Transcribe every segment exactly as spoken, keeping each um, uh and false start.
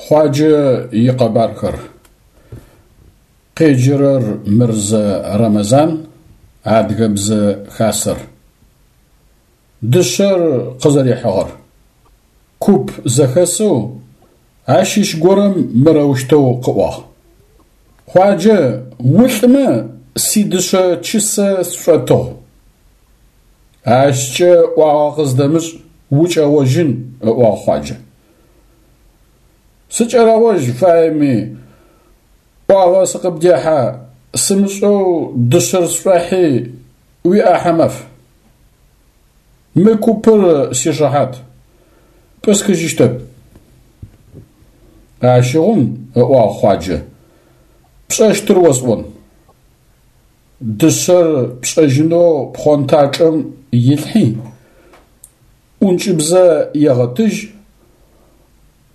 Хъуаджэ икъэбархэр. Къеджэрэр Мырзэ Рэмэзан, Адыгэбзэ Хасэр. Дышъэр къызэрихьыгъэр. Куп зэхэсэу ащыщ горэм мырэущтэу къыӏуагъ: Хъуаджэ, улӏымэ сидышъэ чысэ сшӏотыгъу. Ащкӏэ ӏуагъэ къыздэмышӏ, укӏэгъожьын, ыӏуагъ Хъуаджэ. Сыкӏэрэгъожь фаеми, ӏуагъэ сыкъыбдехьа, сымышӏэу дышъэр сшӏохьи, уиӏахьэ маф. Мы купыр сишыхьат, пӏысхыжьыщтэп. Ащыгъум, ыӏуагъ Хъуаджэ, пшӏэщтыр осӏон. Дышъэр пшӏэжьынэу пхъонтачӏэм илъхьи, ӏункӏыбзэ егъэтыжь,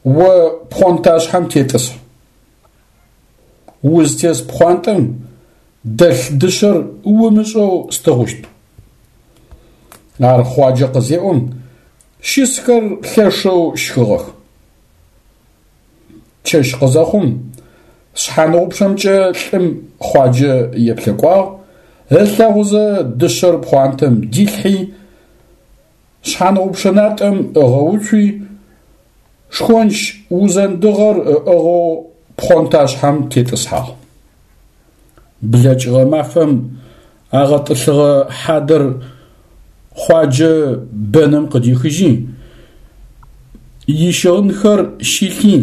о пхъонташъхьэм тетӏысхь. Узтес пхъуантэм дэлъ дышъэр умышӏэу стыгъущт. Ар Хъуаджэ къызеӏом, щысхэр лъэшэу щхыгъэх. Чэщ къызэхъум, шъхьаныгъупчъэмкӏэ лӏым Хъуаджэ еплъэкӏуагъ, ылъэгъузэ дышъэр пхъуантэм дилъхьи, шъхьаныгъупчъэ натӏэм ыгъэуцуи, шхонч узэндыгъэр ыӏыгъэу пхъонташъхьэм тетӏысхьагъ. Блэкӏыгъэ мафэм агъэтӏылъыгъэ хьадэр Хъуаджэ бэным къыдихыжьи, ищыгъынхэр щилъи,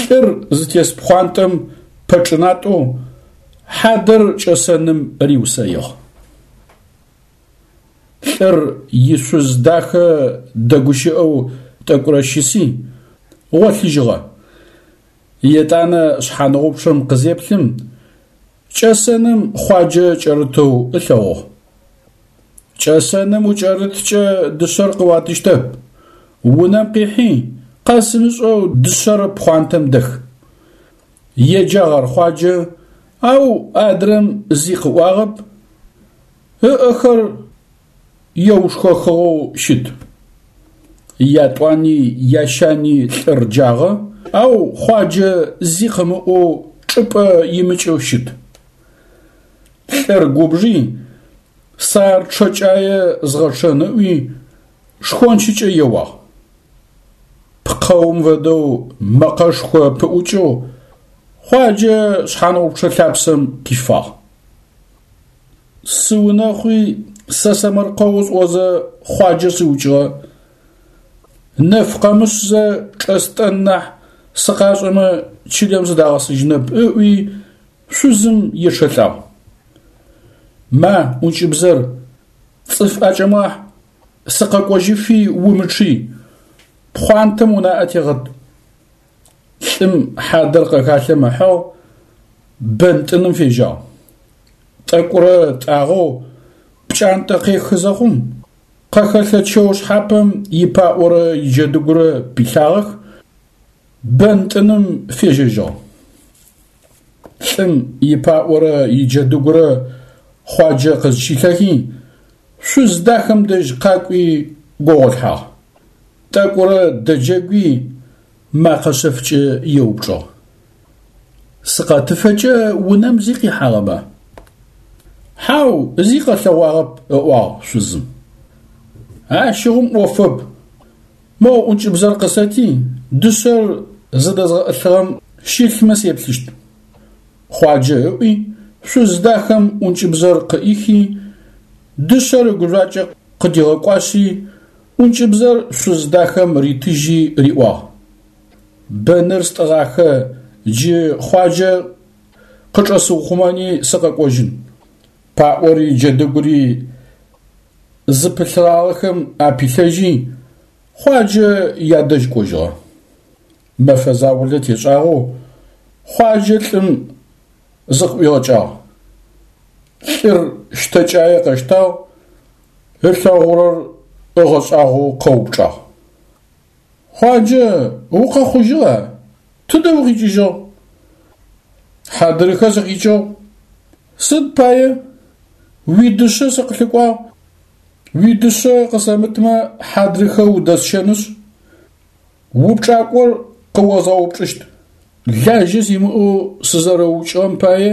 лӏыр зытес пхъуантэм пэчӏынатӏэу хьадэр кӏэсэным риусэигъ. Лӏыр ишъуз дахэ дэгущыӏэу тӏэкӏурэ щыси, гъолъыжьыгъэ. Етӏанэ шъхьаныгъупчъэм къызеплъым, кӏэсэным Хъуаджэ кӏэрытэу ылъэгъугъ. Кӏэсэным укӏэрыткӏэ дышъэр къыуатыщтэп. Унэм къихьи, къэсымышӏэу дышъэр пхъуантэм дэх. Еджагъ ар Хъуаджэ, ау адрэм зи къыӏуагъэп, ыӏэхэр еушхэхыгъэу щыт. Ятӏуани ящани лӏыр джагъэ, ау Хъуаджэ зи къымыӏоу чӏыпӏэ имыкӏэу щыт. Лӏыр губжи, сэ ар чъэкӏае згъэчъэн ыӏуи, шхончыкӏэ еуагъ. Пкъэум фэдэу мэкъэшхо пыӏукӏэу Хъуаджэ шъхьаныгъупчъэ лъапсэм къифагъ. Сыунэхъуи сэ сэмэркъэу сӏозэ Хъуаджэ сыукӏыгъэ. Нэф къэмышъзэ чӏэстӏэн нахь сыкъашӏэмэ чылэм сыдагъэсыжьынэп ыӏуи шъузым ечъэлӏагъ. Ма, ӏункӏыбзэр, цӏыф ӏэкӏэмыгъахь, сыкъэкӏожьыфи умычъый, пхъуантэм унаӏэ тегъэт. Лӏым хьадэр къэхалъэм ыхьыгъ, бэн тӏыным фежьагъ. Тӏэкӏурэ тӏагъэу пкӏантӏэ къехы зэхъум, къэхэлъэ чэу шъхьапэм ипаӏорэ иджэдыгурэ пилъагъэх, бэн тӏыным фежьэжьыгъ. Лӏым ипаӏорэ иджэдыгурэ Хъуаджэ къызщилъэхи, шъуз дахэм дэжь къакӏуи гогъолъхьагъ. Тӏэкӏурэ дэджэгуи мэкъэ шъэфкӏэ еупчӏыгъ. Сыкъэтыфэкӏэ унэм зи къихьагъэба? Хьау, зи къэлъэгъуагъэп, ыӏуагъ шъузым. Ащыгъум ӏофэп. Моу ӏункӏыбзэр къысэти, дышъэр зыдэзгъэӏылъыгъэм щылъмэ сеплъыщт. Хъуаджэ ыӏуи, шъуз дахэм ӏункӏыбзэр къыӏихи, дышъэр ыгужъуакӏэ къыдигъэкӏуашъи, ӏункӏыбзэр шъуз дахэм ритыжьи риӏуагъ. Бэныр стӏыгъахэ, джы Хъуаджэ къычӏэсыухъумэни сыкъэкӏожьын. Паӏори джэдыгури зыпылъыгъагъэхэм апилъэжьи, Хъуаджэ ядэжь кӏожьыгъэ. Мэфэ заулэ тешӏагъэу Хъуаджэ лӏым зыкъыӏуигъэкӏагъ. Лӏыр щтэкӏае къэщтагъ, ылъэгъурэр ыгъэшӏагъоу къэупчӏагъ. Хъуаджэ, укъэхъужьыгъа? Тыдэ укъикӏыжьыгъ? Хьадырыхэ сыкъикӏыгъ. Сыд пае? Уидышъэ сыкъылъыкӏуагъ. Уидышъэ къысэмытмэ хьадрыхэ удэсщэнышъ. Упчӏакӏор къыозгъэупчӏыщт. Лажьэ симыӏэу сызэрэуукӏыгъэм пае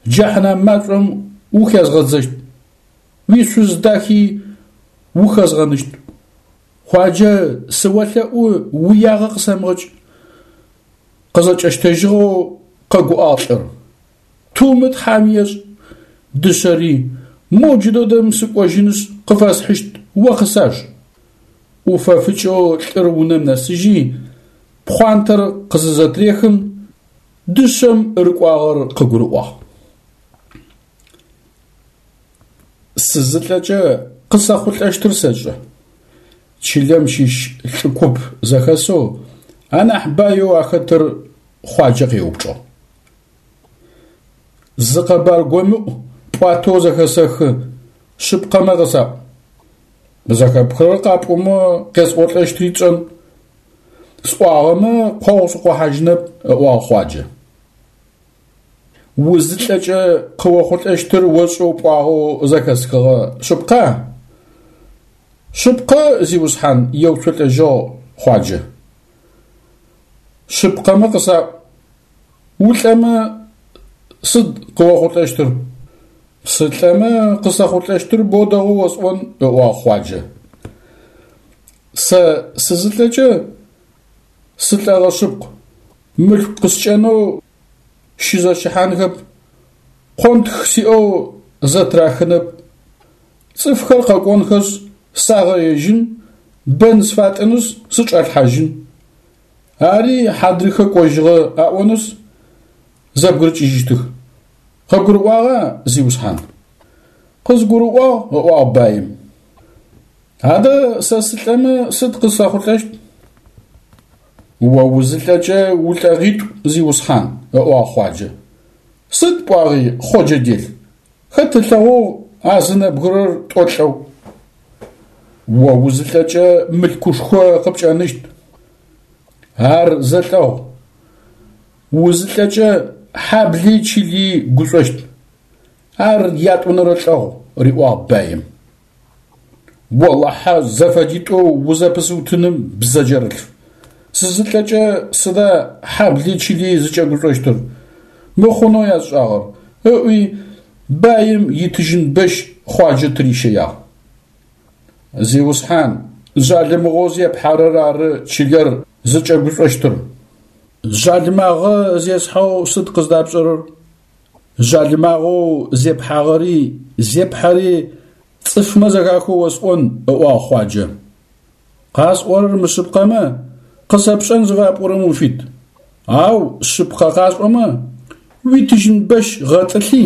джэхьнэм машӏом ухезгъэдзэщт, уишъуз дахи ухэзгъэныщт. Хъуаджэ, сыолъэӏу уиягъэ къысэмыгъэкӏ. Къызэкӏэщтэжьыгъэу къэгуӏагъ лӏыр. Тумы Тхьам ешӏ, дышъэри, моу джыдэдэм сыкӏожьынышъ къыфэсхьыщт, о къысаж. Ӏуфэфыкӏэу лӏыр унэм нэсыжьи, пхъуантэр къызызэтрехым, дышъэм рыкӏуагъэр къыгурыӏуагъ. Сызылӏэкӏэ къысэхъулӏэщтыр сэшӏэ. Чылэм щыщ лӏы куп зэхэсэу анахь баеу ахэтыр Хъуаджэ къеупчӏыгъ. Зы къэбар гомыӏу пӏуатэу зэхэсэхы, шъыпкъэмэ къысаӏу. Зэхэпхырэр къапӏомэ къесӏолӏэщтри тшӏэн. Сӏуагъэмэ къогъу сыкъохьажьынэп, ыӏуагъ Хъуаджэ. Узылӏэкӏэ къыохъулӏэщтыр ошӏэу пӏуагъэу зэхэсхыгъэ, шъыпкъа? Шъыпкъэ, зиусхьан, еуцолӏэжьыгъ Хъуаджэ. Шъыпкъэмэ къысаӏу, улӏэмэ сыд къыохъулӏэщтыр? Сылӏэмэ къысэхъулӏэщтыр боу дэгъоу осӏон, ыӏуагъ Хъуаджэ. Сэ сызылӏэкӏэ сылӏэгъэ шъыпкъ, мылъку къыскӏэнэу щызэщыхьанхэп, къонтх сиӏэу зэтырахынэп. Цӏыфхэр къэкӏонхэшъ сагъэежьын, бэн сфатӏынышъ сычӏалъхьажьын. Ари хьадрыхэ кӏожьыгъэ аӏонышъ зэбгырыкӏыжьыщтых. Къыбгурыӏуагъа, зиусхьан? Къызгурыӏуагъ, ыӏуагъ баим. Адэ сэ сылӏэмэ сыд къысэхъулӏэщт? О узылӏэкӏэ улӏэгъитӏу, зиусхьан, ыӏуагъ Хъуаджэ. Сыд пӏуагъи, Хъоджэ дел? Хэт ылъэгъугъ а зы нэбгырэр тӏо лӏэу? О узылӏэкӏэ мылъкушхо къыпкӏэныщт. Ар зэ лӏэгъу. Узылӏэкӏэ хьабли чыли гушӏощт. Ар ятӏонэрэ лӏэгъу, риӏуагъ баим. Олахьэ зэфэдитӏоу узэпысыутыным, бзэджэрылъф. Сызылӏэкӏэ сыда хьабли чыли зыкӏэгушӏощтыр, мыхъунэу ясшӏагъэр, ыӏуи баим итыжьын бэщ Хъуаджэ тырищэягъ. Зиусхьан, жъалымыгъэу зепхьэрэр ары чылэр зыкӏэгушӏощтыр. Жъалымагъэ зесхьэу сыд къыздапшӏэрэр? Жъалымагъэу зепхьагъэри зепхьэри цӏыфмэ зэхахэу осӏон, ыӏуагъ Хъуаджэ. Къасӏорэр мышъыпкъэмэ, къысэпшӏэн зыфапӏорэм уфит. Ау шъыпкъэ къасӏомэ, уитыжьын бэщ гъэтӏылъи,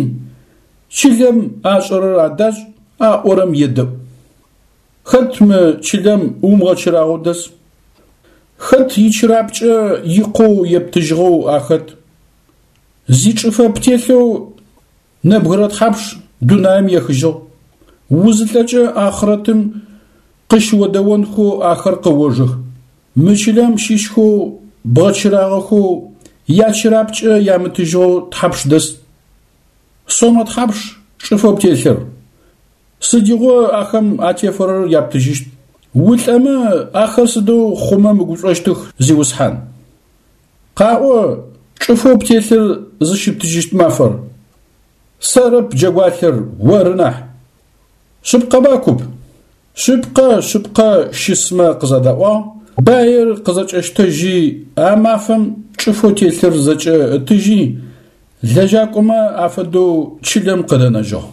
чылэм ашӏэрэр адашӏ, аӏорэм едэӏу. Хэт мы чылэм умыгъэчырагъэу дэс? Хэт ичырапкӏэ икъоу ептыжьыгъэу ахэт? Зичӏыфэ птелъэу нэбгырэ тхьапш дунаим ехыжьыгъ. Узылӏэкӏэ ахърэтым къыщыодэонхэу ахэр къыожэх. Мы чылэм щыщхэу бгъэчырагъэхэу ячырапкӏэ ямытыжьыгъэу тхьапш дэс? Сомэ тхьапш чӏыфэу птелъыр? Сыдигъо ахэм атефэрэр яптыжьыщт? Улӏэмэ ахэр сыдэу хъумэ мыгушӏощтых, зиусхьан? Къаӏо чӏыфэу птелъыр зыщыптыжьыщт мафэр. Сэрэп джэгуалъэр, оры нахь. Шъыпкъэба, куп? Шъыпкъэ, шъыпкъэ, щысмэ къызэдаӏуагъ, баир къызэкӏэщтэжьи, а мафэм чӏыфэу телъыр зэкӏэ ытыжьи, лэжьакӏомэ афэдэу чылэм къыдэнэжьыгъ.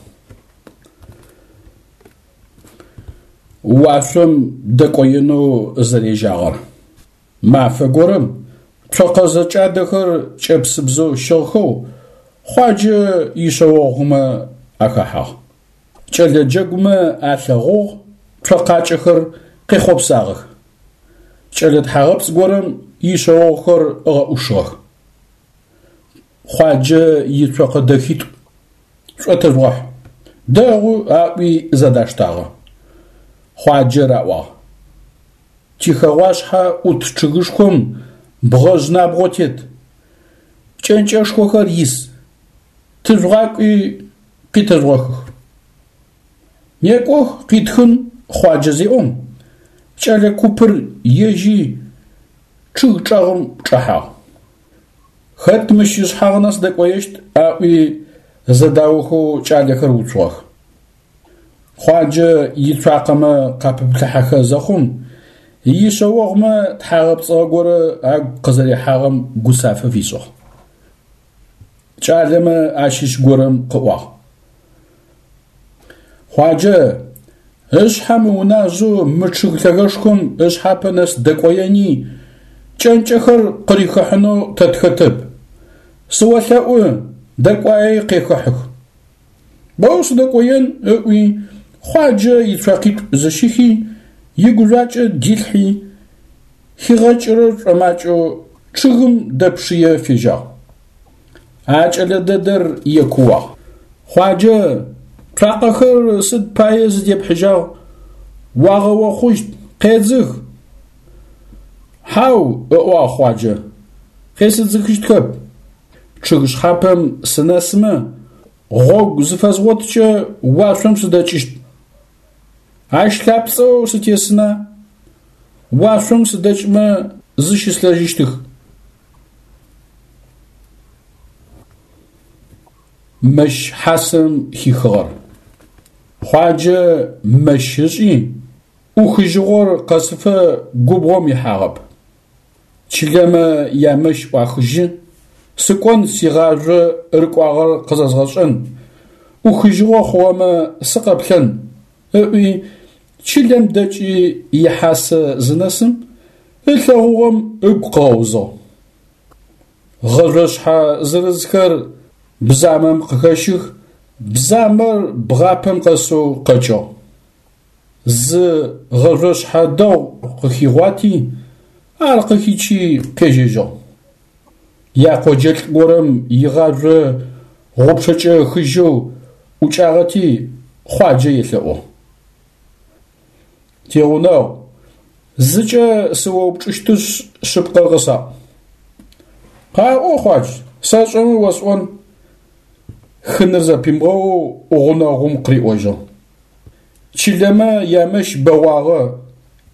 Уашъом дэкӏоенэу зэрежьагъэр. Мафэ горэм цокъэ зэкӏадэхэр кӏэпсыбзэу щыгъхэу Хъуаджэ ишъэогъумэ ахэхьагъ. Кӏэлэ джэгумэ алъэгъугъ, цокъакӏэхэр къехъопсагъэх. Кӏэлэ тхьагъэпцӏ горэм ишъэогъухэр ыгъэӏушыгъэх. Хъуаджэ ицокъэ дэхитӏу шӏотэжъугъэхь. Дэгъу аӏуи зэдаштагъэ. Хъуаджэ раӏуагъ: Тихэгъуашъхьэ ӏут чъыгышхом бгъэжъ набгъо тет, кӏэнкӏэшхохэр ис. Тыжъугъакӏуи къитэжъугъэхых. Некӏох къитхын Хъуаджэ зеӏом, кӏэлэ купыр ежьи Чъыг чӏэгъым чӏэхьагъ. Хэт мыщ ышъхьагъ нэс дэкӏоещт? Аӏуи зэдаохэу кӏалэхэр уцугъэх. Хъуаджэ ицуакъэмэ къапыплъыхьэхэ зэхъум, ишъэогъумэ тхьагъэпцӏыгъэ горэ агу къызэрихьагъэм гуцафэ фишӏыгъ. Кӏалэмэ ащыщ горэм къыӏуагъ: Хъуаджэ, ышъхьэ мыуназэу мы чъыг лъэгэшхом ышъхьапэ нэс дэкӏоени, кӏэнкӏэхэр къырихыхьынэу тэ тхэтэп. Сыолъэӏу, дэкӏуаи къехыхьых. Боу сыдэкӏоен, ыӏуи, Хъуаджэ ицуакъитӏу зыщихи, игужъуакӏэ дилъхьи, хигъэкӏырэр шӏомакӏэу чъыгым дэпшые фежьагъ. А кӏэлэ дэдэр екууагъ: Хъуаджэ, цуакъэхэр сыд пае зыдепхьыжьагъ, уагъэохъущт, къедзых. Хьау, ыӏуагъ Хъуаджэ, къесыдзыхыщтхэп. Чъыг шъхьапэм сынэсымэ, гъогу зыфэзгъоткӏэ уашъом сыдэкӏыщт. Ащ лъапцӏэу сытесына, уашъом сыдэкӏмэ зыщыслъэжьыщтых. Мэщ хьасэм хихыгъэр. Хъуаджэ мэщ ышӏи, ӏухыжьыгъор къэсыфэ губгъом ихьагъэп. Чылэмэ ямэщ ӏуахыжьы, сыкӏон сигъажъо рыкӏуагъэр къызэзгъэшӏэн, ӏухыжьыгъо хъугъэмэ сыкъэплъэн, ыӏуи чылэм дэкӏи ихьасэ зынэсым, ылъэгъугъэм ыгу къыгъэузыгъ. Гъэжъошъхьэ зырызхэр бзамэм къыхэщых, бзамэр бгъапэм къэсэу къэкӏыгъ. Зы гъэжъошъхьэ дэгъу къыхигъуати, ар къыхичи къежьэжьыгъ. Якъоджэлӏ горэм игъажъо гъупчъэкӏэ ыхыжьэу ӏукӏагъэти, Хъуаджэ елъэӏугъ. Тигъунэгъу, зыкӏэ сыоупчӏыщтышъ шъыпкъэр къысаӏу. Къаӏо, Хъуадж, сэшӏэмэ осӏон. Хыныр зэпимыгъэоу гъунэгъум къыриӏожьыгъ. Чылэмэ ямэщ бэгъуагъэ,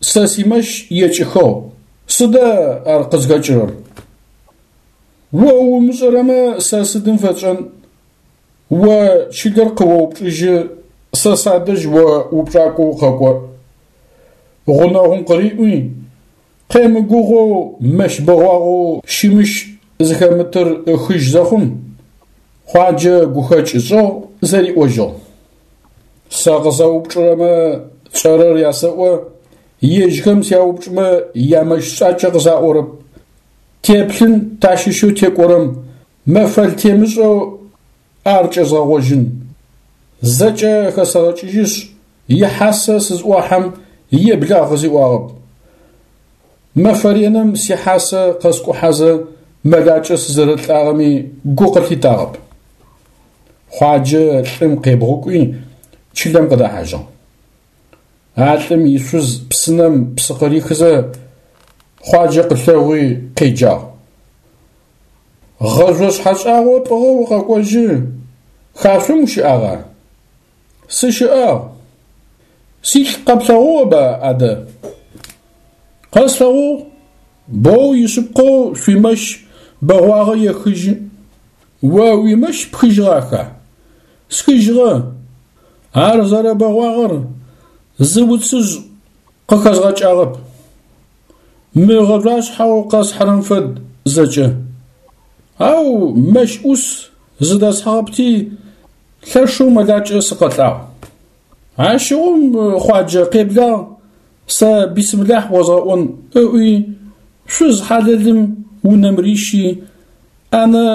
сэ симэщ екӏыхыгъ, сыда ар къызхэкӏырэр? О умышӏэрэмэ сэ сыдым фэсшӏэн? О чылэр къыоупчӏыжьы, сэ садэжь о упчӏакӏо укъэкӏо. Гъунэгъум къыриӏуи, къемыгугъоу мэщ бэгъуагъэу щымыщ зыхэмытыр ыхыжь зэхъум, Хъуаджэ гухэкӏ ышӏыгъ, зэриӏожьыгъ. Сэ къысэупчӏырэмэ тшӏэрэр ясэӏо, ежьхэм сяупчӏымэ ямэщ шӏакӏэ къысаӏорэп. Теплъын тащыщэу текӏорэм мэфэл темышӏэу ар кӏэзгъэгъожьын. Зэкӏэ хэсэгъэкӏыжьышъ, ихьасэ сызӏохьэм еблагъ къысиӏуагъэп. Мэфэ реным сихьасэ къэскӏухьэзэ мэлакӏэ сызэрэлӏагъэми гу къылъитагъэп. Хъуаджэ лӏым къебгъукӏуи чылэм къыдэхьажьыгъ. А лӏым ишъуз псынэм псы къырихызэ Хъуаджэ къылъэгъуи къеджагъ. Гъэжъошъхьэ шӏагъо пӏыгъэу укъэкӏожьы, хашъом ущыӏагъа? Сыщыӏагъ. Силӏ къэплъэгъугъэба адэ? Къэслъэгъугъ. Боу ишъыпкъэу шъуимэщ бэгъуагъэ ехыжьы. О уимэщ пхыжьыгъаха? Схыжьыгъэ. Ар зэрэбэгъуагъэр зы уцыжъ къыхэзгъэкӏагъэп. Мы гъэжъуашъхьэу къэсхьырэм фэд зэкӏэ. Ау мэщ ӏус зыдэсхьыгъэпти, лъэшэу мэлакӏэ сыкъэлӏагъ. Ащыгъум Хъуаджэ къеблагъ, сэ бисмилахь озгъэӏон ыӏуи, шъуз хьалэлым унэм рищи, ӏэнэ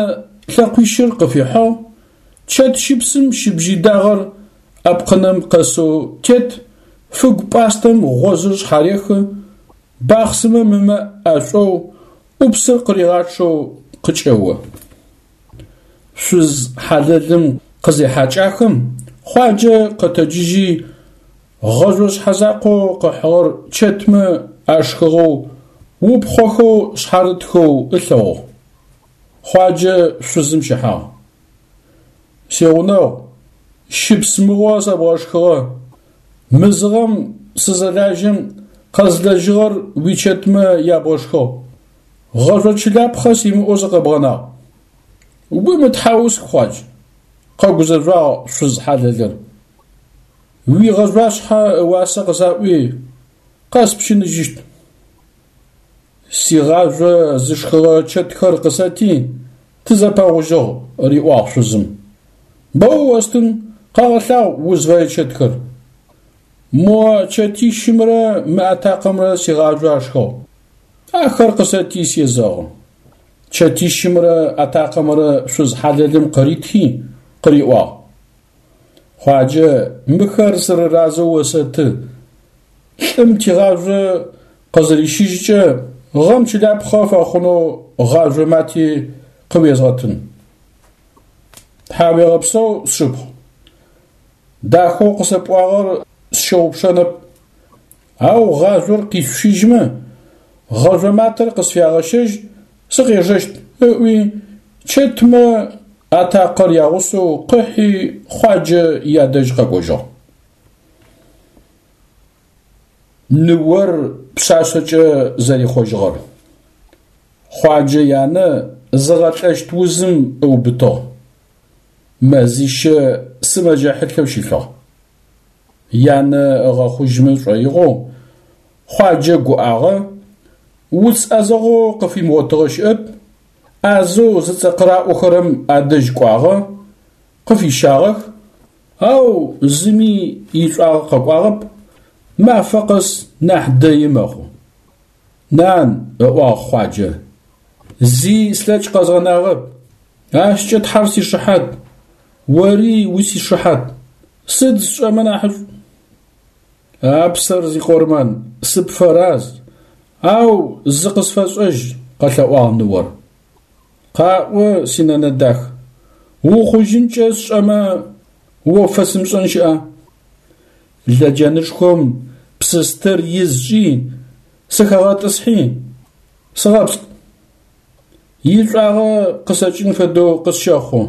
лъэкъуищыр къыфихьыгъ, чэт щыпсым щыбжьый дагъэр ӏэпкъынэм къэсэу тет, фыгу пӏастэм гъозыр шъхьарехы, бахъсымэм ымэ ӏэшӏоу, ӏупсыр къыригъачъэу къыкӏэо. Шъуз хьалэлым къызехьакӏахэм, Хъуаджэ къэтэджыжьи, гъэжъошъхьэ закъоу къыхьыгъэр чэтмэ ашхыгъэу, упхъохэу шъхьарытхэу ылъэгъугъ. Хъуаджэ шъузым щыхьагъ. Сигъунэгъу, щыпс мыгъо сэбгъэшхыгъэ. Мызыгъэм сызэлажьэм къэзлэжьыгъэр уичэтмэ ябгъэшхыгъ. Гъэжъо чылапхъэ симыӏэу сыкъэбгъэнагъ. Умытхьаусх, Хъуадж, къэгузэжъуагъ шъуз хьалэлыр. Уигъэжъуашъхьэ ыуасэ къысаӏуи, къэспщыныжьыщт. Сигъажъо зышхыгъэ чэтхэр къысэти, тызэпэгъужьыгъ, риӏуагъ шъузым. Боу остын, къэгъэлъагъу узфэе чэтхэр. Мо чэтищымрэ мы атакъэмрэ сигъажъо ашхыгъ. Ахэр къысэти сезэгъы. Чэтищымрэ атакъэмрэ шъуз хьалэлым къыритхи къыриӏуагъ: Хъуаджэ, мыхэр сырыразэу осэты. Лӏым тигъажъо къызырищыжькӏэ гъэм чылапхъэ фэхъунэу гъажъо мати къыуезгъэтын. Тхьауегъэпсэу, сшыпхъу. Дахэу къысэпӏуагъэр сщыгъупшэнэп. Ау гъажъор къишъущыжьмэ, гъэжъо матэр къысфягъэщэжь, сыкъежэщт, ыӏуи чэтмэ атакъэр ягъусэу къыхьи Хъуаджэ ядэжь къэкӏожьыгъ. Ныор пшъашъэкӏэ зэрихъожьыгъэр. Хъуаджэ янэ зыгъэлӏэщт узым ыубытыгъ. Мэзищэ сымэджэ хьылъэу щылъыгъ. Янэ ыгъэхъужьымэ шӏоигъоу Хъуаджэ гуӏагъэ, уц ӏэзэгъоу къыфимыгъотыгъэ щыӏэп, ӏазэу зыцӏэ къыраӏохэрэм адэжь кӏуагъэ, къыфищагъэх, ау зыми ишӏуагъэ къэкӏуагъэп, мафэ къэс нахь дэи мэхъу. Нан, ыӏуагъ Хъуаджэ, зи слъэкӏ къэзгъэнагъэп, ащкӏэ Тхьэр сишыхьат, ори усишыхьат, сыд сшӏэмэ нахьышӏу? А псэр зикъормэн, сыпфэраз, ау зы къысфэшӏэжь, къэлъэӏуагъ ныор. Къаӏо, синэнэ дах, ухъужьынкӏэ сшӏэмэ, о пфэсымышӏэн щыӏа? Лэджэнышхом псы стыр из шӏи, сыхэгъэтӏысхьи, сыгъэпскӏ. Ишӏуагъэ къысэкӏын фэдэу къысщэхъу.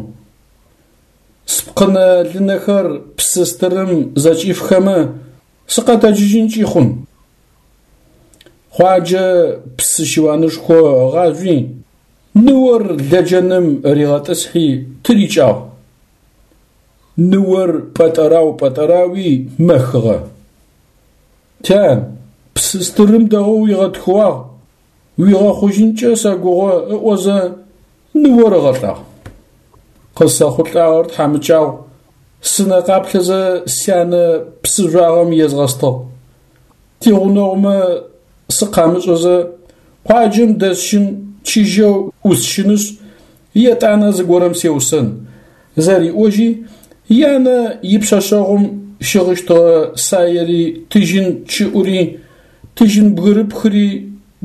Спкъынэ-лынэхэр псы стырым зэкӏифхэмэ, сыкъэтэджыжьынкӏи хъун. Хъуаджэ псы щыуанышхо ыгъажъуи, ныор лэджэным ригъэтӏысхьи тырикӏагъ. Ныор пӏэтӏэрау-пӏэтӏэрауи мэхыгъэ. Тян, псы стырым дэгъоу уигъэтхыуагъ, уигъэхъужьынкӏэ сэгугъэ ыӏозэ ныор ыгъэлӏагъ. Къысэхъулӏагъэр тхьамыкӏагъу, сынэ къаплъэзэ сянэ псы жъуагъэм езгъэстыгъ. Тигъунэгъумэ сыкъамышӏэзэ къуаджэм дэсщын чыжьэу ӏусщынышъ, етӏанэ зыгорэм сеусэн, зэриӏожьи, янэ ипшъэшъэгъум щыгъыщтыгъэ саери тыжьын чыӏури, тыжьын бгырыпхыри,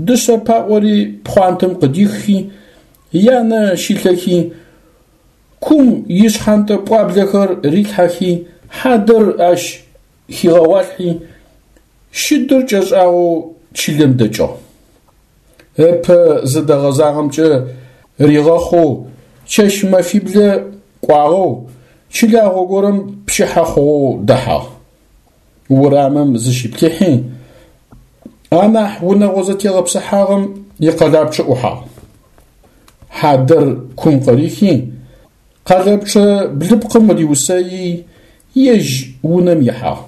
дышъэ паӏори пхъуантэм къыдиххи, янэ щилъэхи, кум ишъхьантэ пӏуаблэхэр рилъхьэхи, хьадэр ащ хигъэгъуалъхьи, щыдыр кӏэшӏагъэу чылэм дэкӏыгъ. Ыпэ зыдэгъэзагъэмкӏэ ригъэхъоу чэщ-мэфиблэ кӏуагъэу чылагъо горэм пчыхьэ хъугъэу дэхьагъ. Урамым зыщиплъыхьи, анахь унэгъо зэтегъэпсыхьагъэм икъэлапчъэ ӏухьагъ. Хьадэр кум къырихи, къэлэпчъэ блыпкъым риусэий, ежь унэм ихьагъ.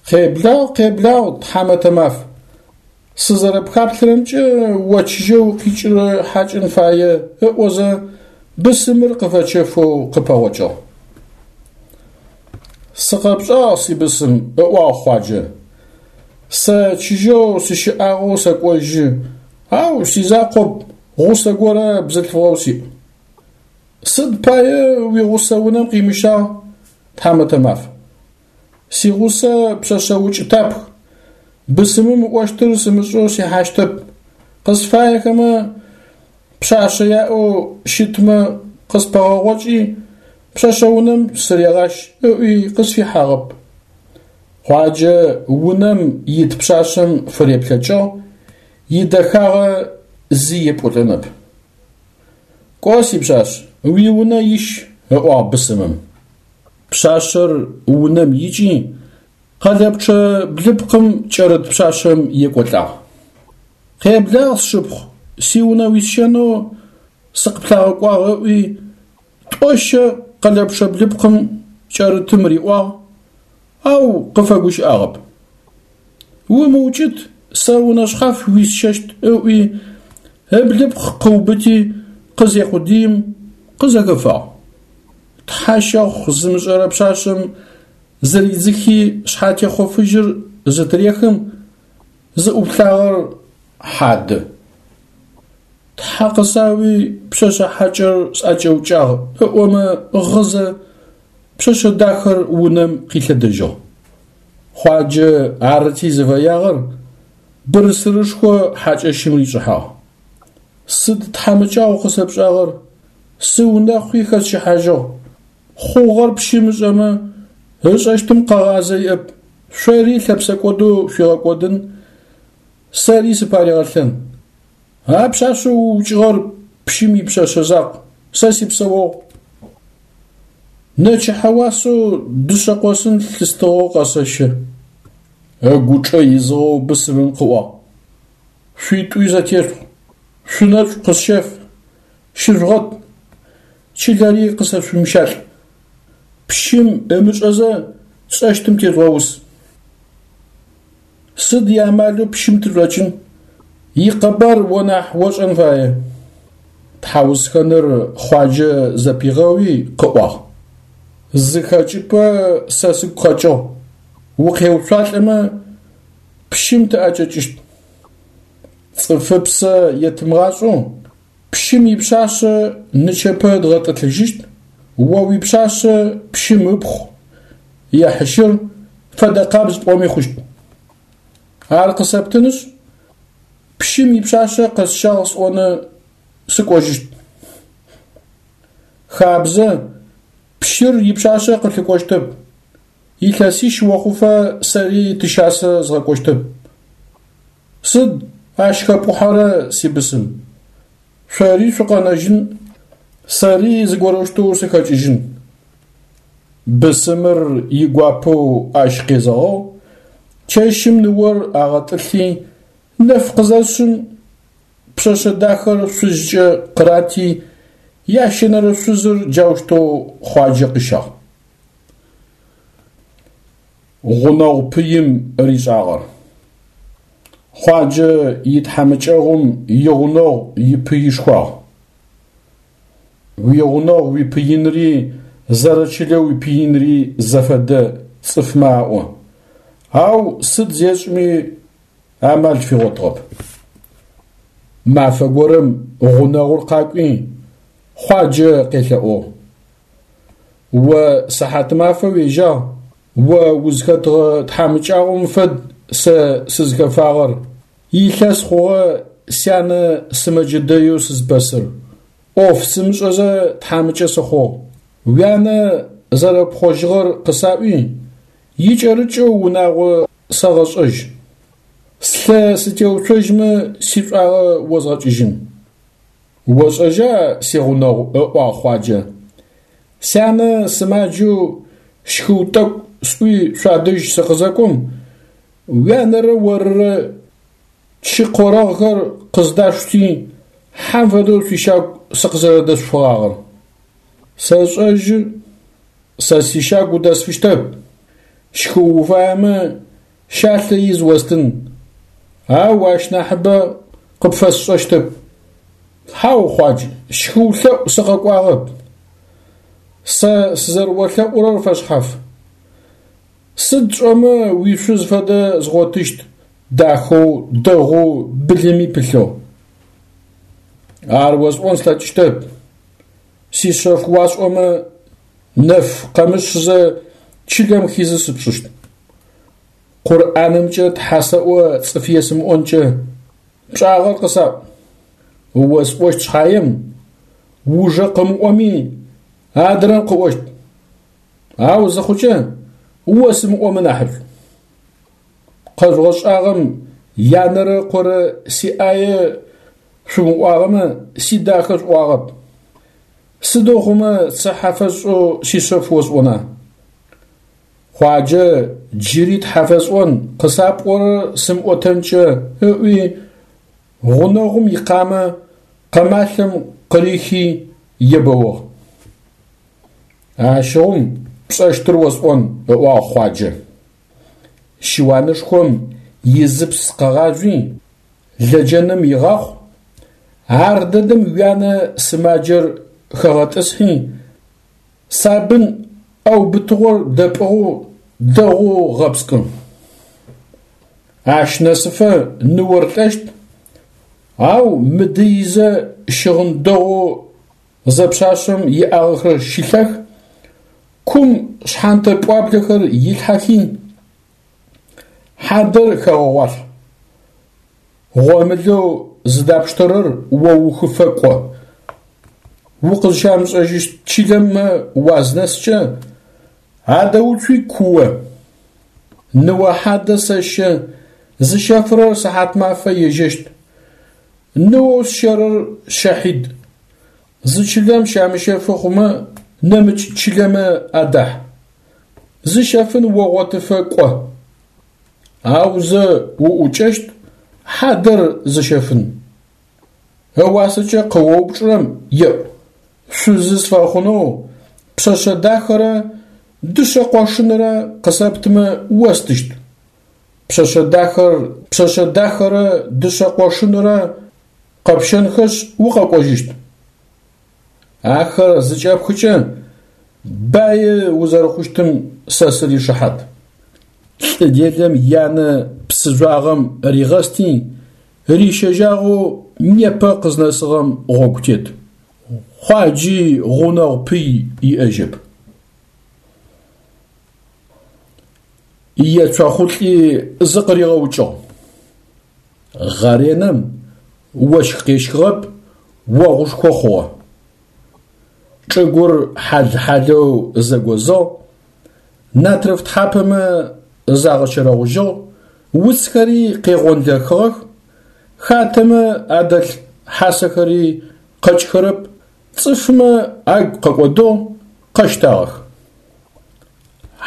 Къеблагъ, къеблагъ, тхьамэтэ маф! Сызэрэпхаплъэрэмкӏэ о чыжьэу укъикӏырэ хьакӏэн фае, ыӏозэ бысымыр къыфэчэфэу къыпэгъокӏыгъ. Сыкъэпшӏагъ, сибысым, ыӏуагъ Хъуаджэ. Сэ чыжьэу сыщыӏагъэу сэкӏожьы, ау сизакъоп, гъусэ горэ бзылъфыгъэу сиӏ. Сыд пае уигъусэ унэм къимыщагъ, тхьамэтэ маф? Сигъусэ пшъэшъэ укӏытапх, бысымым ыӏощтыр сымышӏэу сихьащтэп, къысфаехэмэ пшъашъэ яӏэу щытмэ къыспэгъэгъокӏи, пшъэшъэ унэм сырегъащ ыӏуи къысфихьагъэп. Хъуаджэ унэм ит пшъашъэм фыреплъэкӏыгъ, идэхагъэ зи епӏолӏэнэп. Кӏо, сипшъашъ, уиунэ ищ, ыӏуагъ бысымым. Пшъашъэр унэм икӏи, къэлэпчъэ блыпкъым кӏэрыт пшъашъэм екӏолӏагъ. Къеблагъ, сшыпхъу, сиунэ уисщэнэу сыкъыплъагъэкӏуагъ ыӏуи, тӏо-щэ къэлэпчъэ блыпкъым кӏэрытым риӏуагъ, ау къыфэгущыӏагъэп. Умыукӏыт, сэ унэ шъхьаф уисщэщт ыӏуи, ыблыпкъ къыубыти къызекъудыим, къызэхэфагъ. Тхьэ щэхъу зымышӏэрэ пшъашъэм зыридзыхи шъхьатехъо фыжьыр зытырехым, зыӏуплъагъэр хьадэ. Тхьэ къысауи пшъэшъэ хьакӏэр сӏэкӏэукӏагъ ыӏомэ гъызэ, пшъэшъэ дахэр унэм къилъэдэжьыгъ. Хъуаджэ арыти зыфэягъэр бырсырышхо хьакӏэщым ришӏыхьагъ. Сыд тхьамыкӏагъу къысэпшӏагъэр, сыунэхъуи хэсщыхьажьыгъ, хъугъэр пщым ышӏэмэ, ышӏэщтым къэгъазэ иӏэп, шъори лъэпсэкӏодэу шъуигъэкӏодын, сэри сыпаригъэлъэн. А пшъашъэу уукӏыгъэр пщым ипшъэшъэ закъу, сэ сипсэогъу. Нэчыхьэ уасэу дышъэ къосын лъыстыгъэу къэсэщэ. Ыгучӏэ изыгъэу бысымым къыӏуагъ: Шъуитӏуи зэтешъухь, шъунэшӏу къысщэф, щыжъугъэт, чылэри къысэшъумыщалӏ. Пщым ымышӏэзэ тшӏэщтым тежъугъэус. Сыд иамалэу пщым тышӏокӏын, икъэбар о нахь ошӏэн фае. Тхьаусхэныр Хъуаджэ зэпигъэуи къыӏуагъ: Зы хэкӏыпӏэ сэ сыгу къэкӏыгъ, укъеуцуалӏэмэ пщым тыӏэкӏэкӏыщт. Цӏыфыпсэ етымыгъашӏэу пщым ипшъашъэ нычэпэ дгъэтӏылъыжьыщт, о уипшъашъэ пщым ыпхъу ехьыщыр фэдэкъабз пӏоми хъущт. Ар къысэптынышъ, пщым ипшъашъэ къэсщагъ сӏоны сыкӏожьыщт. Хабзэ, пщыр ипшъашъэ къылъыкӏощтэп, илъэсищ охъуфэ сэри тыщасэ згъэкӏощтэп. Сыд ащ хэпӏухьэрэ сибысым? Шъори шъукъэнэжьын, сэри зыгорэущтэу сыхэкӏыжьын. Бысымыр игуапэу ащ къезэгъыгъ, чэщым ныор агъэтӏылъи, нэф къызэшъым пшъэшъэ дахэр шъузкӏэ къырати, ящэнэрэ шъузыр джаущтэу Хъуаджэ къыщагъ. Гъунэгъу пыим ришӏагъэр. Хъуаджэ итхьамыкӏэгъум игъунэгъу ипыишхуагъ. Уигъунэгъу уипыинри зэрэчылэ уипыинри зэфэдэ цӏыфмэ аӏо. Ау сыд зешӏми амал фигъотыгъэп. Мафэ горэм гъунэгъур къакӏуи Хъуаджэ къелъэӏугъ: О сыхьатымафэ уежьагъ, о узхэтыгъэ тхьамыкӏагъом фэд сэ сызхэфагъэр, илъэс хъугъэ сянэ сымэджэ дэеу сызпэсыр, ӏоф сымышӏэзэ тхьамыкӏэ сыхъугъ. Уянэ зэрэпхъожьыгъэр къысаӏуи, икӏэрыкӏэу унагъо сэгъэшӏэжь. Слъэ сытеуцожьмэ сишӏуагъэ озгъэкӏыжьын. Ошӏэжьа, сигъунэгъу, ыӏуагъ Хъуаджэ, сянэ сымаджэу щхыу тӏэкӏу сӏуи шъуадэжь сыкъызэкӏом, уянэрэ орырэ чы къорэгъхэр къыздашъути, хьэм фэдэу шъуищагу сыкъызэрэдэшъуфыгъагъэр. Сэшӏэжьы, сэ сищагу удэсфыщтэп, щхыу уфаемэ щалъэ из остын, ау ащ нахьыбэ къыпфэсшӏэщтэп. Хьау, Хъуадж, щхыу лъэӏу сыкъэкӏуагъэп. Сэ сызэрэолъэӏурэр фэшъхьаф. Сыд тшӏэмэ уишъуз фэдэ згъотыщт, дахэу, дэгъоу, былыми пылъэу. Ар осӏон слъэкӏыщтэп. Сишъэф уасӏомэ, нэф къэмышъызэ чылэм хизы сыпшӏыщт. Къурӏанымкӏэ Тхьэ сэӏо цӏыф есымыӏонкӏэ, пшӏагъэр къысаӏу. Осӏощт шъхьаем, ужэ къымыӏоми, адрэм къыӏощт. Ау зыхъукӏэ осымыӏомэ нахьышӏу. Къэжъугъэшӏагъэм янэрэ ыкъорэ сиӏае шъумыӏуагъэмэ, сидахэ шъуӏуагъэп. Сыдэу хъумэ цыхьэ фэсшӏэу сишъэф осӏона? Хъуаджэ джыри Тхьэ фэсӏон къысапӏорэр сымыӏотэнкӏэ ыӏуи, Гъунэгъум икъамэ къэмалъэм къырихи ебэугъ. Ащыгъум пшӏэщтыр осӏон, ыӏуагъ Хъуаджэ. Щыуанышхом изыпс къэгъажъуи, лэджэным игъахъу, ар дэдэм уянэ сымаджэр хэгъэтӏысхьи, сабын ӏэубытыгъор дэпӏыгъэу дэгъоу гъэпскӏы. Ащ нэсыфэ ныор лӏэщт, ау мыдыизэ щыгъын дэгъоу зэпшъашъэм иӏагъэхэр щилъэх, кум шъхьантэ пӏуаблэхэр илъхьэхи, хьадэр хэгъэгъуалъхь. Гъомылэу зыдапштэрэр оухыфэ кӏо. Укъызщамышӏэжьыщт чылэмэ уазнэскӏэ, адэуцуи куо. Ныо хьадэ сэщэ, зыщэфырэр сыхьатмафэ ежьэщт. Ныоу сщэрэр Щахьид. Зы чылэм щамыщэфы хъумэ, нэмыкӏ чылэмэ адахь. Зыщэфын огъотыфэ кӏо. Аузэ уӏукӏэщт хьадэр зыщэфын. Ыуасэкӏэ къыоупчӏырэм еӏу: шъузы сфэхъунэу пшъэшъэ дахэрэ дышъэ къошынрэ къысэптымэ остыщт. Пшъэшъэ дахэр пшъэшъэ дахэрэ дышъэ къошынрэ къэпщэнхэшъ укъэкӏожьыщт. Ахэр зыкӏэпхыкӏэ бае узэрэхъущтым сэ сыришыхьат. Лӏы делэм янэ псы жъуагъэм ригъэсти, рищэжьагъэу непэ къызнэсыгъэм гъогу тет. Хъуаджи гъунэгъу пый иӏэжьэп. Ецохъулӏи зыкъыригъэукӏыгъ. Гъэренэм ощх къещхыгъэп, огъушхо хъугъэ. Чӏыгур хьал-хьалэу зэгозыгъ, натрыф тхьапэмэ загъэчэрэгъужьыгъ, уцхэри къегъонлэхыгъэх, хатэмэ адэлъ хьасэхэри къэкӏхэрэп, цӏыфмэ агу къэкӏодыгъ, къэщтагъэх.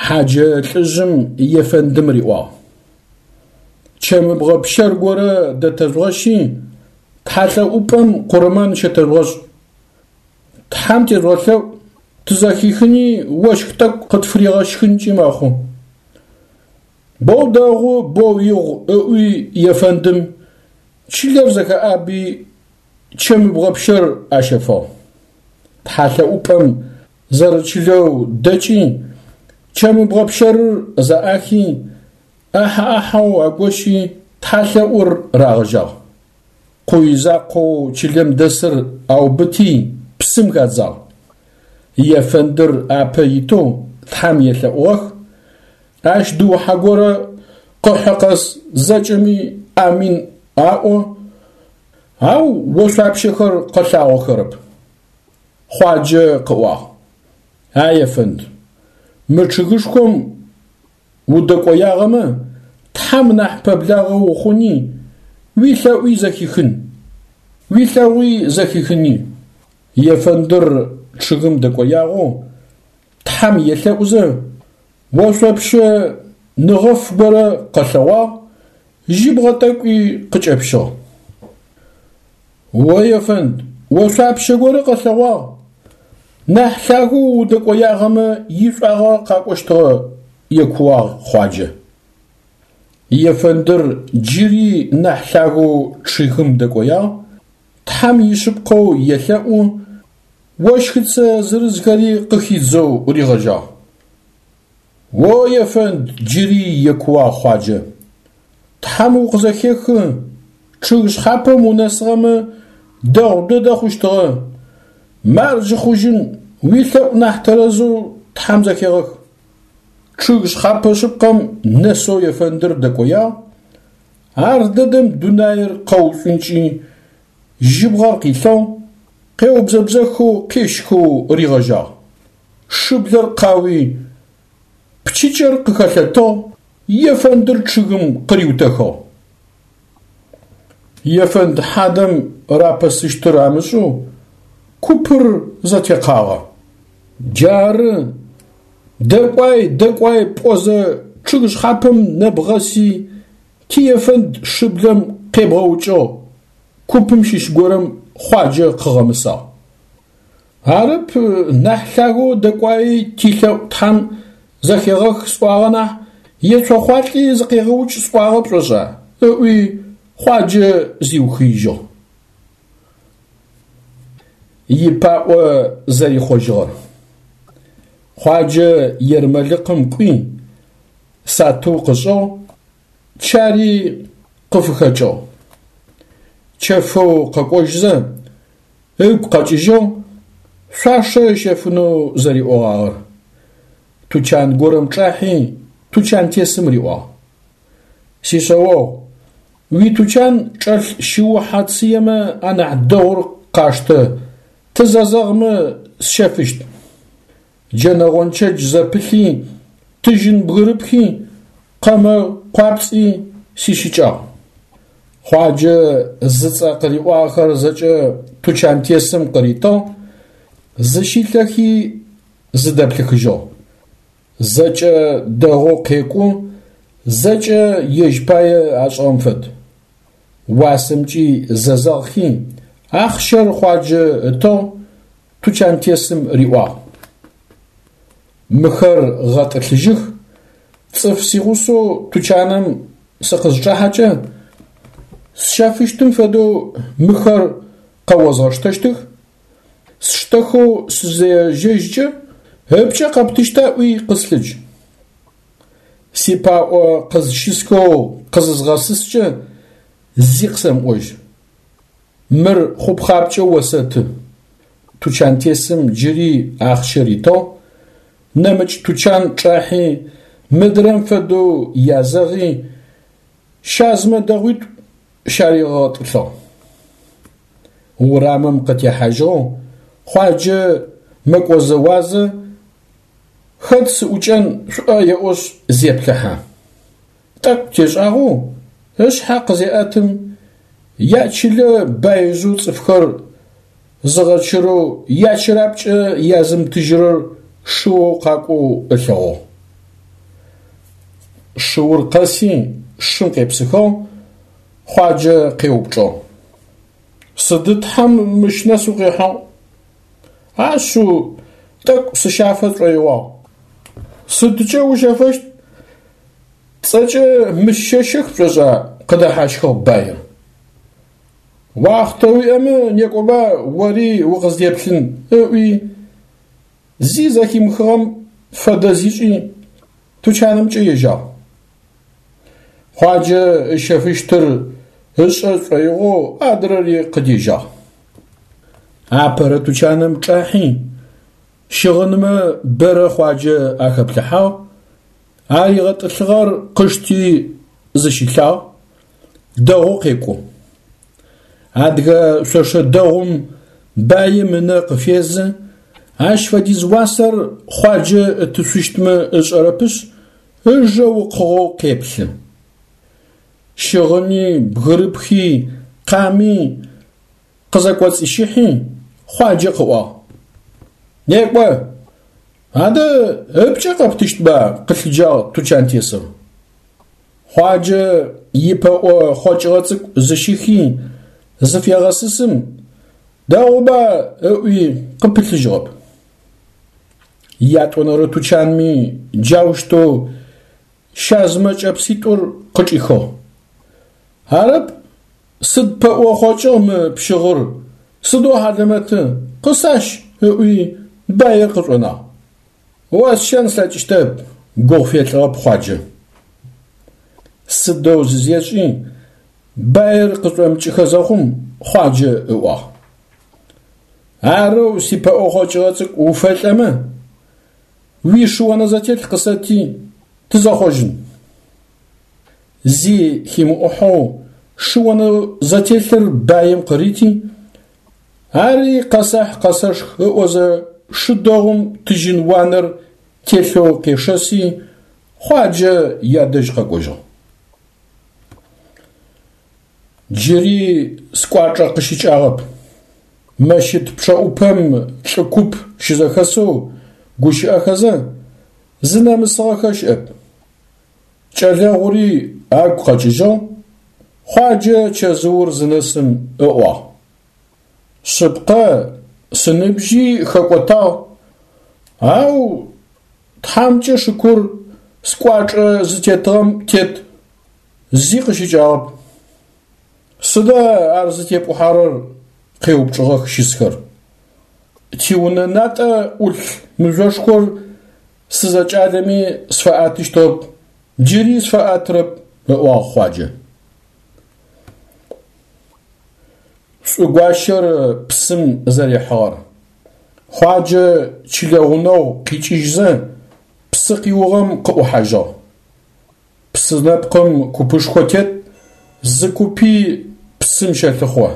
Хьаджэ лӏыжъым ефэндым риӏуагъ: Чэмыбгъэ пщэр горэ дэтэжъугъэщи, тхьалъэӏупӏэм къурмэн щэтэжъугъэшӏ. Тхьэм тежъугъэлъэӏу, тызэхихыни ощх тӏэкӏу къытфыригъэщхынкӏи мэхъу. Боу дэгъу, боу игъу, ыӏуи ефэндым, чылэр зэхэӏаби, чэмыбгъэ пщэр ащэфыгъ. Тхьалъэӏупӏэм зэрэчылэу дэкӏи, чэмыбгъэ пщэрыр зэӏахи, ӏахьэ-ӏахьэу агощи, тхьалъэӏур рагъэжьагъ. Къуй закъоу чылэм дэсыр аубыти, псым хадзагъ. Ефэндыр апэ итэу Тхьэм елъэӏугъэх, ащ дыухьэ горэ къыхьы къэс зэкӏэми амин аӏо, ау ошъуапщэхэр къэлъагъохэрэп. Хъуаджэ къыӏуагъ: А ефэнд, мы чъыгышхом удэкӏоягъэмэ, Тхьэм нахь пэблагъэ ухъуни, уилъэӏуи зэхихын, уилъэгъуи зэхихыни. Ефэндыр чъыгым дэкӏоягъэу Тхьэм елъэӏузэ, ошъопщэ ныгъэф горэ къэлъэгъуагъ, жьыбгъэ тӏэкӏуи къыкӏэпщыгъ. О ефэнд, ошъуапщэ горэ къэлъэгъуагъ, нахь лъагэу удэкӏоягъэмэ ишӏуагъэ къакӏощтыгъэ, екууагъ Хъуаджэ. Ефэндыр джыри нахь лъагэу чъыгым дэкӏоягъ, Тхьэм ишъыпкъэу елъэӏу, ощхыцэ зырызхэри къыхидзэу ригъэжьагъ. О ефэнд, джыри екууагъ Хъуаджэ, Тхьэм укъызэхехы, чъыг шъхьапэм унэсыгъэмэ дэгъу дэдэ хъущтыгъэ. Марджы хъужьын, уилъэӏу нахь тэрэзэу Тхьэм зэхегъэх. Чъыг шъхьапэ шъыпкъэм нэсэу ефэндыр дэкӏоягъ, ар дэдэм дунаир къэушӏункӏи, жьыбгъэр къилъыгъ, къеубзэбзэхэу къещхэу ригъэжьагъ. Шыблэр къауи, пчыкӏэр къыхэлъэтыгъ, ефэндыр чъыгым къыриутэхыгъ. Ефэнд хьадэм рапэсыщтыр амышӏэу купыр зэтекъагъэ. Джары дэкӏуай, дэкӏуай пӏозэ чъыг шъхьапэм нэбгъэси, тиефэнд шыблэм къебгъэукӏыгъ, купым щыщ горэм Хъуаджэ къыгъэмысагъ. Арэп нахь лъагэу дэкӏуаи тилъэӏу Тхьэм зэхегъэх сӏуагъэ нахь, ецохъуалӏи зыкъегъэукӏ сӏуагъэ пшӏошӏа? Ыӏуи Хъуаджэ зиухыижьыгъ. Ипаӏо зэрихъожьыгъэр. Хъуаджэ ермэлыкъым кӏуи, сатыу къышӏыгъ, чари къыфыхэкӏыгъ. Чэфэу къэкӏожьызэ, ыгу къэкӏыжьыгъ, шъуашэ ыщэфынэу зэриӏогъагъэр. Тучан горэм чӏахьи, тучантесым риӏуагъ: Сишъэогъу, уитучан чӏэлъ шыухьэ цыемэ анахь дэгъур къаштэ, тызэзэгъмэ сщэфыщт. Джэнэ гъончэдж зэпылъи, тыжьын бгырыпхи, къэмэ къуапцӏи сищыкӏагъ. Хъуаджэ зыцӏэ къыриӏуагъэхэр зэкӏэ тучантесым къыритыгъ, зыщилъэхи зыдэплъыхыжьыгъ. Зэкӏэ дэгъоу къекӏу, зэкӏэ ежь пае ашӏыгъэм фэд. Уасэмкӏи зэзэгъхи, ахъщэр Хъуаджэ ытыгъ, тучантесым риӏуагъ: Мыхэр гъэтӏылъыжьых, цӏыф сигъусэу тучаным сыкъызчӏахьэкӏэ, сщэфыщтым фэдэу мыхэр къэозгъэштэщтых, сштэхэу сызежьэжькӏэ, ыпкӏэ къэптыщта ӏуи къыслъыдж. Сипаӏо къызщысхэу къызызгъэсыскӏэ зи къысэмыӏожь. Мыр хъупхъапкӏэ осэты. Тучантесым джыри ахъщэ ритыгъ, нэмыкӏ тучан чӏахьи, мыдрэм фэдэу язэгъи, щазымэ дэгъуитӏу щаригъэтӏылъыгъ. Урамым къытехьажьыгъэу Хъуаджэ мэкӏозэуазэ хэт сыӏукӏэн шӏуӏэ еӏошъ зеплъыхьэ. Тӏэкӏу тешӏагъэу ышъхьэ къызеӏэтым, ячылэ баижъэу цӏыфхэр зыгъэчырэу ячырапкӏэ язымытыжьырэр шыоу къакӏоу ылъэгъугъ. Шыур къэси шым къепсыхыгъ, Хъуаджэ къеупчӏыгъ: Сыды Тхьэм мыщ нэс укъихьыгъ? Ашъыу, тӏэкӏу сыщафэ сшӏоигъуагъ. Сыдкӏэ ущэфэщт? Цӏэкӏэ мыщ щэщэх пшӏошӏа? Къыдэхьащхыгъ баир. Уахътэ уиӏэмэ некӏоба ори укъыздеплъын, ыӏуи, зи зэхимыхыгъэм фэдэ зишӏи, тучанымкӏэ ежьагъ. Хъуаджэ ыщэфыщтыр ышӏэ шӏоигъоу адрэри къыдежьагъ. Апэрэ тучаным чӏахьи, щыгъынмэ бэрэ Хъуаджэ ахэплъыхьагъ, аригъэтӏылъыгъэр къышти зыщилъагъ, дэгъоу къекӏу. Адыгэ шъошэ дэгъум баим ынэ къыфезы, ащ фэдиз уасэр Хъуаджэ ытышъущтмэ ышӏэрэпышъ, ыжэ укъыгъэу къеплъы. Щыгъыни, бгырыпхи, къами къызэкӏоцӏищыхьи, Хъуаджэ къыӏуагъ: Некӏо, адэ ыпкӏэ къэптыщтба? Къылъыджагъ тучантесыр. Хъуаджэ ипэӏо хъокӏыгъэ цӏыкӏу зыщихи зыфегъэсысым, дэгъуба ыӏуи къыпылъыжьыгъэп. Ятӏонэрэ тучанми джаущтэу щазымэ кӏэпситӏур къычӏихыгъ. Арэп, сыд пэӏо хъокӏыгъ мы пщыгъыр, сыдэу хьалэмэты, къысащ, ыӏуи баир къышӏонагъ. Осщэн слъэкӏыщтэп, гугъу фелӏыгъэп Хъуаджэ. Сыдэу зызешӏи, баир къышӏомыкӏыхэ зэхъум Хъуаджэ ыӏуагъ: Арэу сипэӏо хъокӏыгъэ цӏыкӏу уфэлӏэмэ, уишыонэ зэтелъ къысэти, тызэхъожьын. Зи химыӏухьэу шыонэ зэтелъыр баим къырити, ари къэсэхь къэсэшх ыӏозэ шы дэгъум тыжьын уанэр телъэу къешэси, Хъуаджэ ядэжь къэкӏожьыгъ. Джыри скӏуачӏэ къыщыкӏагъэп. Мэщыт пчъэӏупэм лӏы куп щызэхэсэу гущыӏэхэзэ, зынэмысыгъэхэ щыӏэп. Кӏэлэгъури агу къэкӏыжьыгъ, Хъуаджэ чэзыур зынэсым ыӏуагъ: Шъыпкъэ, сыныбжьи хэкӏотагъ, ау Тхьамкӏэ шыкур, скӏуачӏэ зытетыгъэм тет, зи къысщыкӏагъэп. Сыда ар зытепӏухьэрэр? – къеупчӏыгъэх щысхэр. Тиунэ натӏэ ӏулъ мыжъошхор сызэкӏалэми сфэӏэтыщтыгъэп, джыри сфэӏэтырэп, – ыӏуагъ Хъуаджэ. Шӏугуащэр псым зэрихьыгъэр. Хъуаджэ чылэ гъунэгъу къикӏыжьзэ псы къиугъэм къыӏухьажьыгъ. Псы нэпкъым купышхо тет, зы купи псым щэлъыхъо.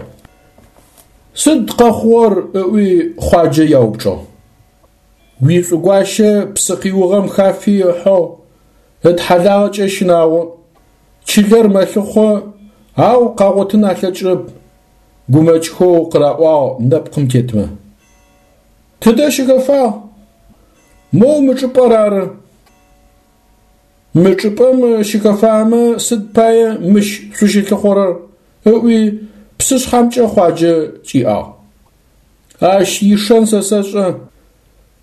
Сыд къэхъугъэр? – ыӏуи Хъуаджэ яупчӏыгъ. Уишӏугуащэ псы къиугъэм хафи ыхьыгъ, ытхьалагъэкӏэ щынагъо. Чылэр мэлъыхъо, ау къагъотын алъэкӏырэп, гумэкӏхэу къыраӏуагъ нэпкъым тетмэ. Тыдэ щыхэфагъ? Моу мы чӏыпӏэр ары. Мы чӏыпӏэм щыхэфагъэмэ сыд пае мыщ шъущылъыхъорэр? – ыӏуи псышъхьэмкӏэ Хъуаджэ кӏиӏагъ. Ащ ишэн сэ сэшӏэ,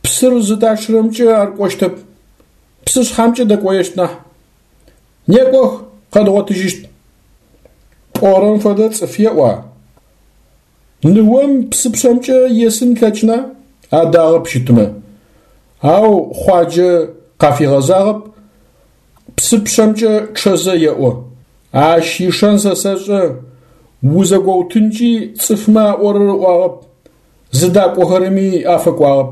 псыр зыдачъырэмкӏэ ар кӏощтэп, псышъхьэмкӏэ дэкӏоещт нахь. Некӏох, къэдгъотыжьыщт. Пӏорэм фэдэ цӏыф еӏуа? Ныом псыпшъэмкӏэ есын ылъэкӏына? Адагъэп щытмэ. Ау Хъуаджэ къафигъэзагъэп, псыпшъэмкӏэ чъэзэ еӏо: Ащ ишэн сэ сэшӏэ, узэгоутынкӏи цӏыфмэ аӏорэр ыӏуагъэп, зыдакӏохэрэми афэкӏуагъэп.